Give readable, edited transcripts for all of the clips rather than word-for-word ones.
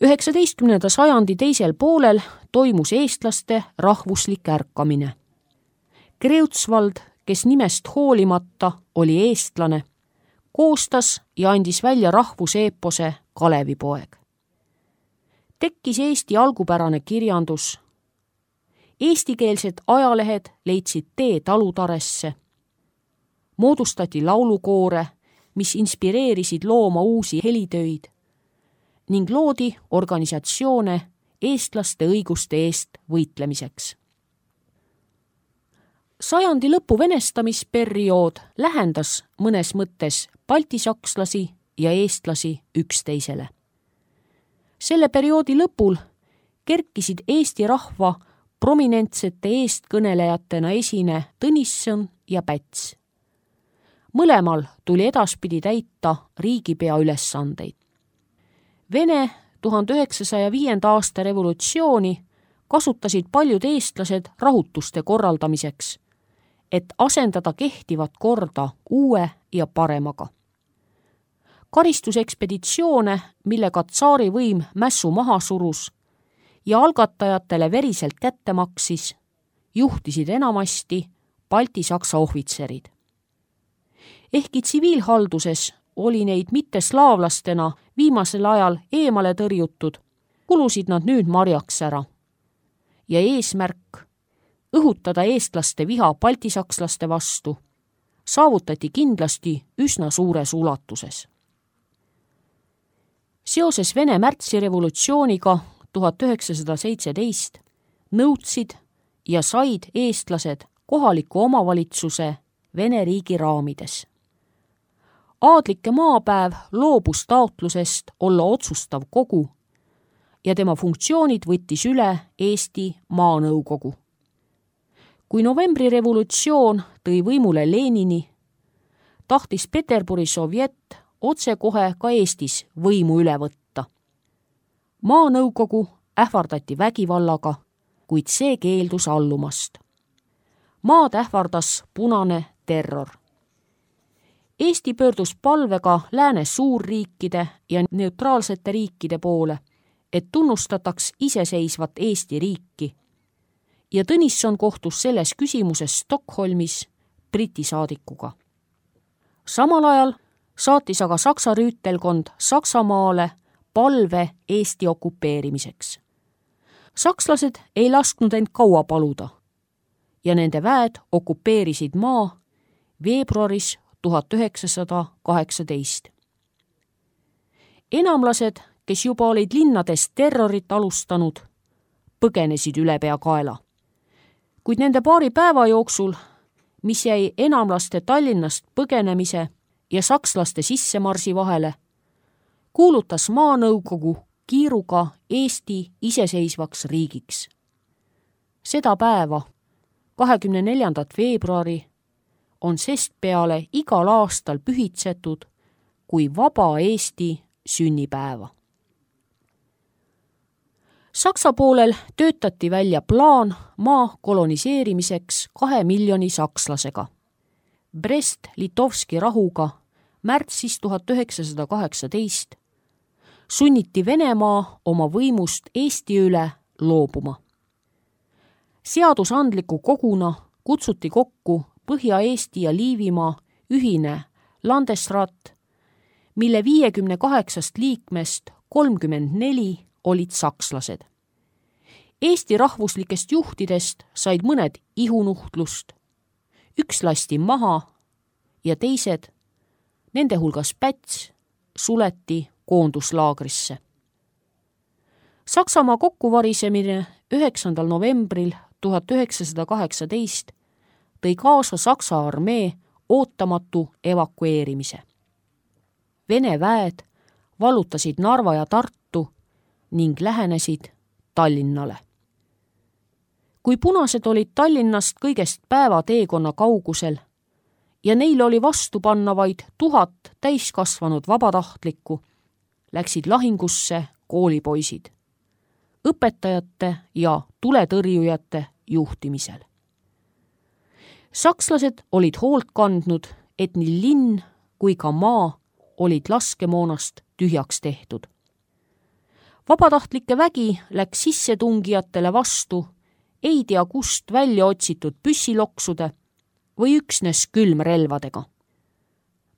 19. sajandi teisel poolel toimus eestlaste rahvuslik ärkamine. Kreutzwald, kes nimest hoolimata oli eestlane, koostas ja andis välja rahvuseepose Kalevipoeg. Tekkis Eesti algupärane kirjandus. Eestikeelsed ajalehed leidsid tee talutaresse. Moodustati laulukoore, mis inspireerisid looma uusi helitöid ning loodi organisatsioone eestlaste õiguste eest võitlemiseks. Sajandi lõpu venestamisperiood lähendas mõnes mõttes baltisakslasi ja eestlasi üksteisele. Selle perioodi lõpul kerkisid Eesti rahva prominentsete eestkõnelejatena esine Tõnisson ja Päts. Mõlemal tuli edaspidi täita riigipea ülesandeid. Vene 1905. aasta revolutsiooni kasutasid paljud eestlased rahutuste korraldamiseks, et asendada kehtivat korda uue ja paremaga. Karistusekspeditsioone, millega tsaari võim mässu maha surus ja algatajatele veriselt kätte maksis, juhtisid enamasti baltisaksa ohvitserid. Ehkki tsiviilhalduses oli neid mitteslaavlastena viimasel ajal eemale tõrjutud, kulusid nad nüüd marjaks ära. Ja eesmärk õhutada eestlaste viha baltisakslaste vastu saavutati kindlasti üsna suures ulatuses. Seoses Vene märtsirevolutsiooniga 1917 nõudsid ja said eestlased kohaliku omavalitsuse Vene riigi raamides. Aadlike maapäev loobus taotlusest olla otsustav kogu ja tema funktsioonid võttis üle Eesti Maanõukogu. Kui novembrirevolutsioon tõi võimule Lenini, tahtis Peterburi sovjet otsekohe ka Eestis võimu üle võtta. Maanõukogu ähvardati vägivallaga, kuid see keeldus allumast. Maad ähvardas punane terror. Eesti pöördus palvega lääne suurriikide ja neutraalsete riikide poole, et tunnustataks iseseisvat Eesti riiki. Ja Tõnisson kohtus selles küsimuses Stockholmis Briti saadikuga. Samal ajal saatis aga Saksa rüütelkond Saksamaale palve Eesti okupeerimiseks. Sakslased ei lasknud end kaua paluda ja nende väed okupeerisid maa veebruaris 1918. Enamlased, kes juba olid linnades terrorit alustanud, põgenesid ülepeakaela. Kuid nende paari päeva jooksul, mis jäi enamlaste Tallinnast põgenemise ja sakslaste sissemarsi vahele, kuulutas Maanõukogu kiiruga Eesti iseseisvaks riigiks. Seda päeva, 24. veebruari, on sestpeale igal aastal pühitsetud kui vaba Eesti sünnipäeva. Saksa poolel töötati välja plaan maa koloniseerimiseks 2 miljoni sakslasega. Brest-Litovski rahuga märtsis 1918 sunniti Venemaa oma võimust Eesti üle loobuma. Seadusandliku koguna kutsuti kokku Põhja-Eesti ja Liivimaa ühine Landesrat, mille 58 liikmest 34 olid sakslased. Eesti rahvuslikest juhtidest said mõned ihunuhtlust, üks lasti maha ja teised, nende hulgas Päts, suleti koonduslaagrisse. Saksamaa kokkuvarisemine 9. novembril 1918 tõi kaasa Saksa armee ootamatu evakueerimise. Vene väed vallutasid Narva ja Tartu ning lähenesid Tallinnale. Kui punased olid Tallinnast kõigest päevateekonna kaugusel ja neil oli vastu panna vaid 1000 täiskasvanud vabatahtlikku, läksid lahingusse koolipoisid, õpetajate ja tuletõrjujate juhtimisel. Sakslased olid hoolt kandnud, et nii linn kui ka maa olid laskemoonast tühjaks tehtud. Vabatahtlike vägi läks sissetungijatele vastu ei tea kust välja otsitud püssiloksude või üksnes külmrelvadega.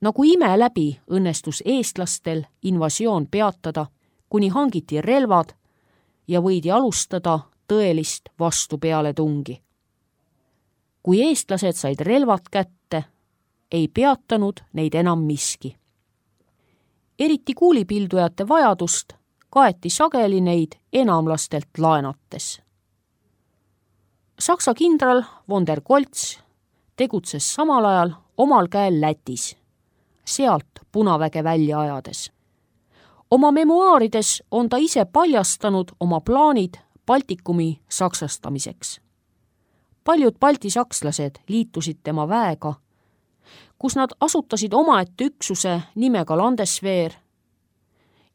Nagu ime läbi õnnestus eestlastel invasioon peatada, kuni hangiti relvad ja võidi alustada tõelist vastupealetungi. Kui eestlased said relvad kätte, ei peatanud neid enam miski. Eriti kuulipildujate vajadust kaeti sageli neid enamlastelt laenates. Saksa kindral von der Goltz tegutses samal ajal omal käel Lätis, sealt punaväge välja ajades. Oma memuaarides on ta ise paljastanud oma plaanid Baltikumi saksastamiseks. Paljud balti sakslased liitusid tema väega, kus nad asutasid omaette üksuse nimega Landeswehr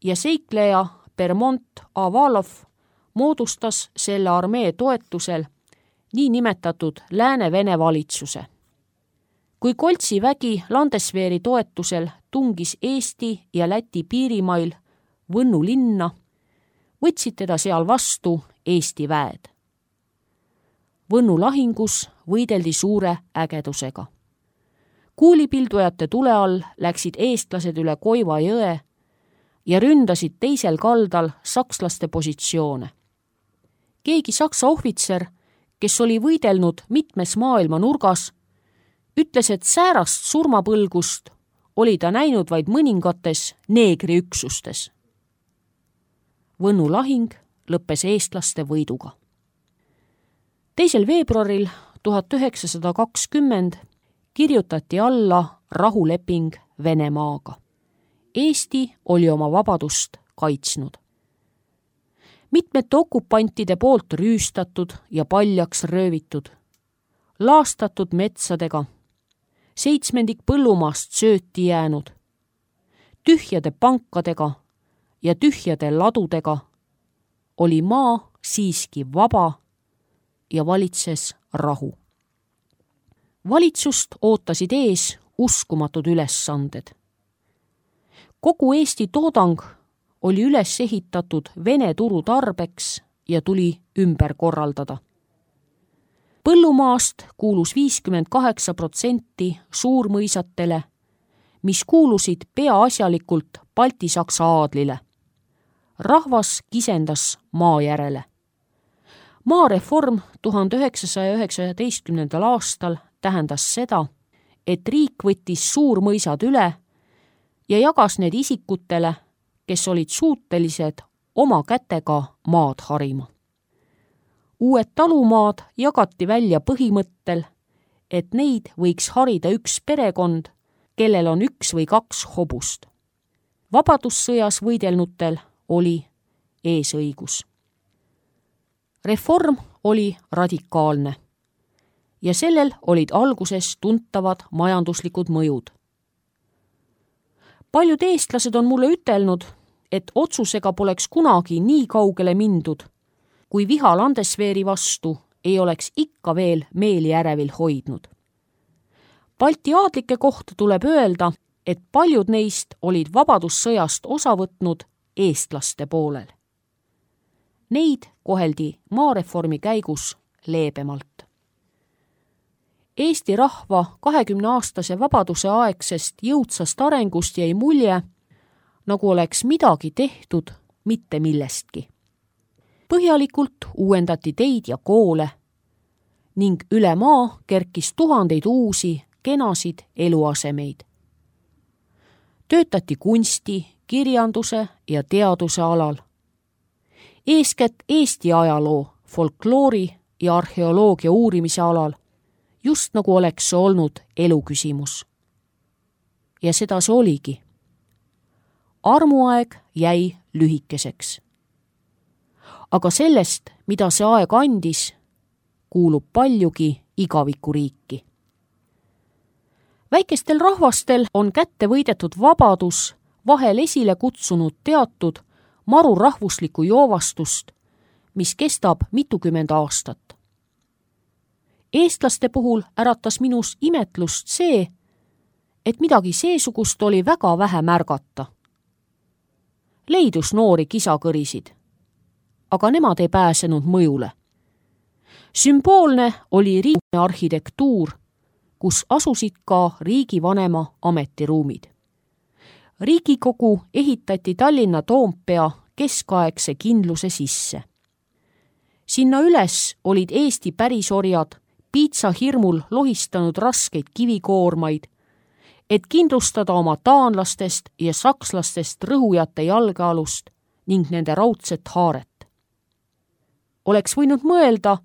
ja seikleja Bermont Avalov moodustas selle armee toetusel niinimetatud Lääne-Vene valitsuse. Kui Goltsi vägi Landeswehri toetusel tungis Eesti ja Läti piirimail Võnnu linna, võtsid teda seal vastu Eesti väed. Võnnu lahingus võideldi suure ägedusega. Kuulipildujate tule all läksid eestlased üle Koiva jõe ja ründasid teisel kaldal sakslaste positsioone. Keegi saksa ohvitser, kes oli võidelnud mitmes maailma nurgas, ütles, et säärast surmapõlgust oli ta näinud vaid mõningates neegriüksustes. Võnnu lahing lõppes eestlaste võiduga. 2. veebruaril 1920 kirjutati alla rahuleping Venemaaga. Eesti oli oma vabadust kaitsnud. Mitmete okupantide poolt rüüstatud ja paljaks röövitud, laastatud metsadega, 7 põllumaast sööti jäänud, tühjade pankadega ja tühjade ladudega oli maa siiski vaba ja valitses rahu. Valitsust ootasid ees uskumatud ülesanded. Kogu Eesti toodang oli üles ehitatud Vene turu tarbeks ja tuli ümber korraldada. Põllumaast kuulus 58% suurmõisatele, mis kuulusid peaasjalikult balti-saksa aadlile. Rahvas kisendas maa järele. Maareform 1919. aastal tähendas seda, et riik võttis suurmõisad üle ja jagas need isikutele, kes olid suutelised oma kätega maad harima. Uued talumaad jagati välja põhimõttel, et neid võiks harida üks perekond, kellel on 1 või 2 hobust. Vabadussõjas võidelnutel oli eesõigus. Reform oli radikaalne ja sellel olid alguses tuntavad majanduslikud mõjud. Paljud eestlased on mulle ütelnud, et otsusega poleks kunagi nii kaugele mindud, kui viha Landeswehri vastu ei oleks ikka veel meeli ärevil hoidnud. Balti aadlike kohta tuleb öelda, et paljud neist olid vabadussõjast osa võtnud eestlaste poolel. Neid koheldi maareformi käigus leebemalt. Eesti rahva 20-aastase vabaduse aegsest jõudsast arengust jäi mulje, nagu oleks midagi tehtud mitte millestki. Põhjalikult uuendati teid ja koole ning üle maa kerkis tuhandeid uusi, kenasid eluasemeid. Töötati kunsti, kirjanduse ja teaduse alal. Eeskätt Eesti ajaloo, folkloori ja arheoloogia uurimise alal, just nagu oleks see olnud eluküsimus. Ja seda see oligi. Armuaeg jäi lühikeseks. Aga sellest, mida see aeg andis, kuulub paljugi igavikuriiki. Väikestel rahvastel on kätte võidetud vabadus vahel esile kutsunud teatud maru rahvuslikku joovastust, mis kestab mitukümmend aastat. Eestlaste puhul äratas minus imetlust see, et midagi seesugust oli väga vähe märgata. Leidus noori kisakõrisid, aga nemad ei pääsenud mõjule. Sümboolne oli riigi arhitektuur, kus asusid ka riigivanema ametiruumid. Riigikogu ehitati Tallinna Toompea keskaegse kindluse sisse. Sinna üles olid Eesti pärisorjad piitsahirmul lohistanud raskeid kivikoormaid, et kindlustada oma taanlastest ja sakslastest rõhujate jalgealust ning nende raudset haaret. Oleks võinud mõelda,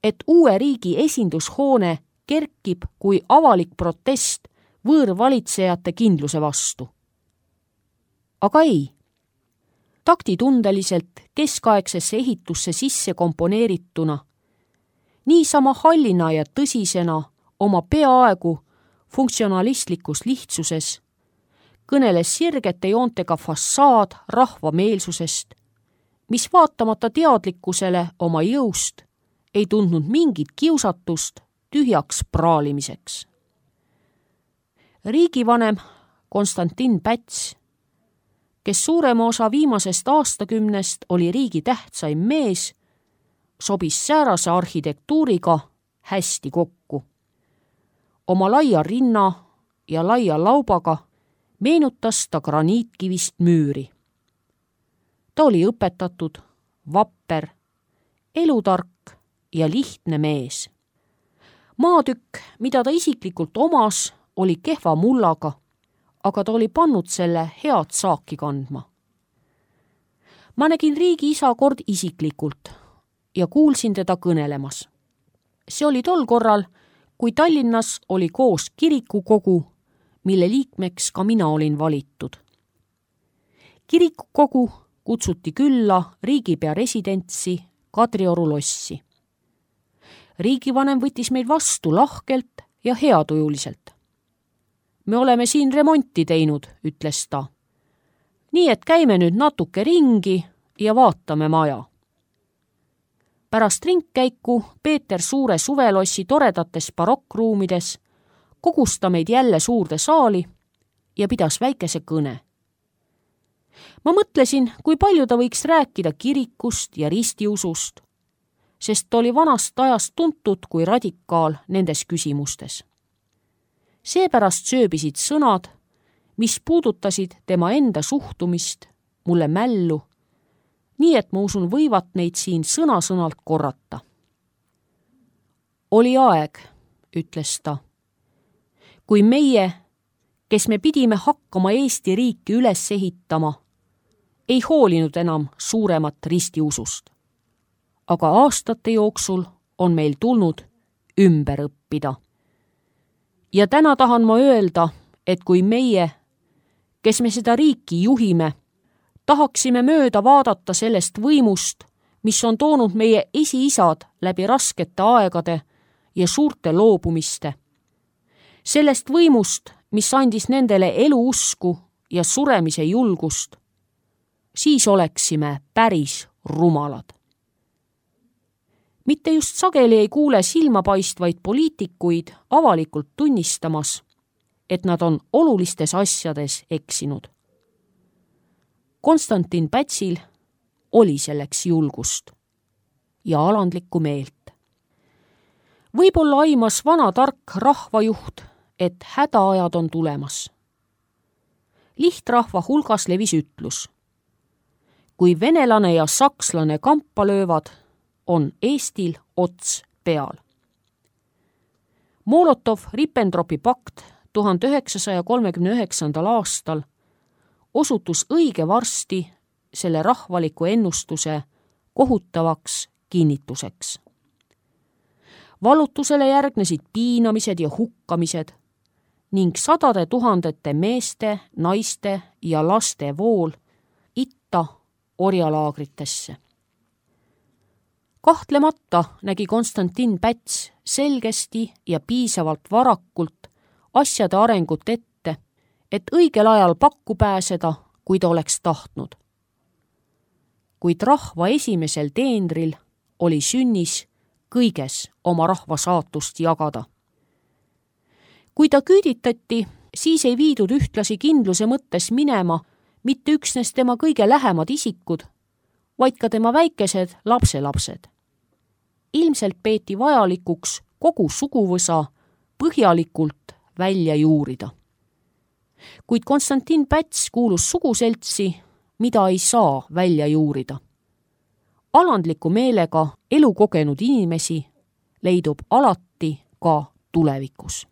et uue riigi esindushoone kerkib kui avalik protest võõrvalitsejate kindluse vastu. Aga ei. Taktitundeliselt keskaegsesse ehitusse sisse komponeerituna, niisama hallina ja tõsisena oma peaaegu funktsionalistlikus lihtsuses, kõneles sirgete joontega fassaad rahvameelsusest, mis vaatamata teadlikkusele oma jõust ei tundnud mingit kiusatust tühjaks praalimiseks. Riigivanem Konstantin Päts, kes suurema osa viimasest aastakümnest oli riigi tähtsaim mees, sobis säärase arhitektuuriga hästi kokku. Oma laia rinna ja laia laubaga meenutas ta graniitkivist müüri. Ta oli õpetatud, vapper, elutark ja lihtne mees. Maatükk, mida ta isiklikult omas, oli kehva mullaga, aga ta oli pannud selle head saaki kandma. Ma nägin riigi isa kord isiklikult ja kuulsin teda kõnelemas. See oli tol korral, kui Tallinnas oli koos kirikukogu, mille liikmeks ka mina olin valitud. Kirikukogu kutsuti külla riigipea residentsi Kadrioru lossi. Riigivanem võttis meid vastu lahkelt ja heatujuliselt. Me oleme siin remonti teinud, ütles ta. Nii et käime nüüd natuke ringi ja vaatame maja. Pärast ringkäiku Peeter Suure suvelossi toredates barokkruumides kogus ta meid jälle suurde saali ja pidas väikese kõne. Ma mõtlesin, kui palju ta võiks rääkida kirikust ja ristiusust, sest ta oli vanast ajast tuntud kui radikaal nendes küsimustes. Seepärast sööbisid sõnad, mis puudutasid tema enda suhtumist, mulle mällu, nii et ma usun võivat neid siin sõna-sõnalt korrata. Oli aeg, ütles ta, kui meie, kes me pidime hakkama Eesti riiki üles ehitama, ei hoolinud enam suuremat ristiusust. Aga aastate jooksul on meil tulnud ümber õppida. Ja täna tahan ma öelda, et kui meie, kes me seda riiki juhime, tahaksime mööda vaadata sellest võimust, mis on toonud meie esiisad läbi raskete aegade ja suurte loobumiste. Sellest võimust, mis andis nendele eluusku ja suremise julgust, siis oleksime päris rumalad. Mitte just sageli ei kuule silmapaistvaid poliitikuid avalikult tunnistamas, et nad on olulistes asjades eksinud. Konstantin Pätsil oli selleks julgust ja alandlikku meelt. Võib-olla aimas vana tark rahvajuht, et hädaajad on tulemas. Lihtrahva hulgas levis ütlus. Kui venelane ja sakslane kampa löövad, on Eestil ots peal. Molotov-Ribbentropi pakt 1939. aastal osutus õige varsti selle rahvaliku ennustuse kohutavaks kinnituseks. Valutusele järgnesid piinamised ja hukkamised ning sadade tuhandete meeste, naiste ja laste vool itta orjalaagritesse. Kahtlemata nägi Konstantin Päts selgesti ja piisavalt varakult asjade arengut ette, et õigel ajal pakku pääseda, kui ta oleks tahtnud. Kuid rahva esimesel teenril oli sünnis kõiges oma rahva saatust jagada. Kui ta küüditati, siis ei viidud ühtlasi kindluse mõttes minema mitte üksnes tema kõige lähemad isikud, vaid ka tema väikesed lapselapsed. Ilmselt peeti vajalikuks kogu suguvõsa põhjalikult välja juurida. Kuid Konstantin Päts kuulus suguseltsi, mida ei saa välja juurida. Alandliku meelega elukogenud inimesi leidub alati ka tulevikus.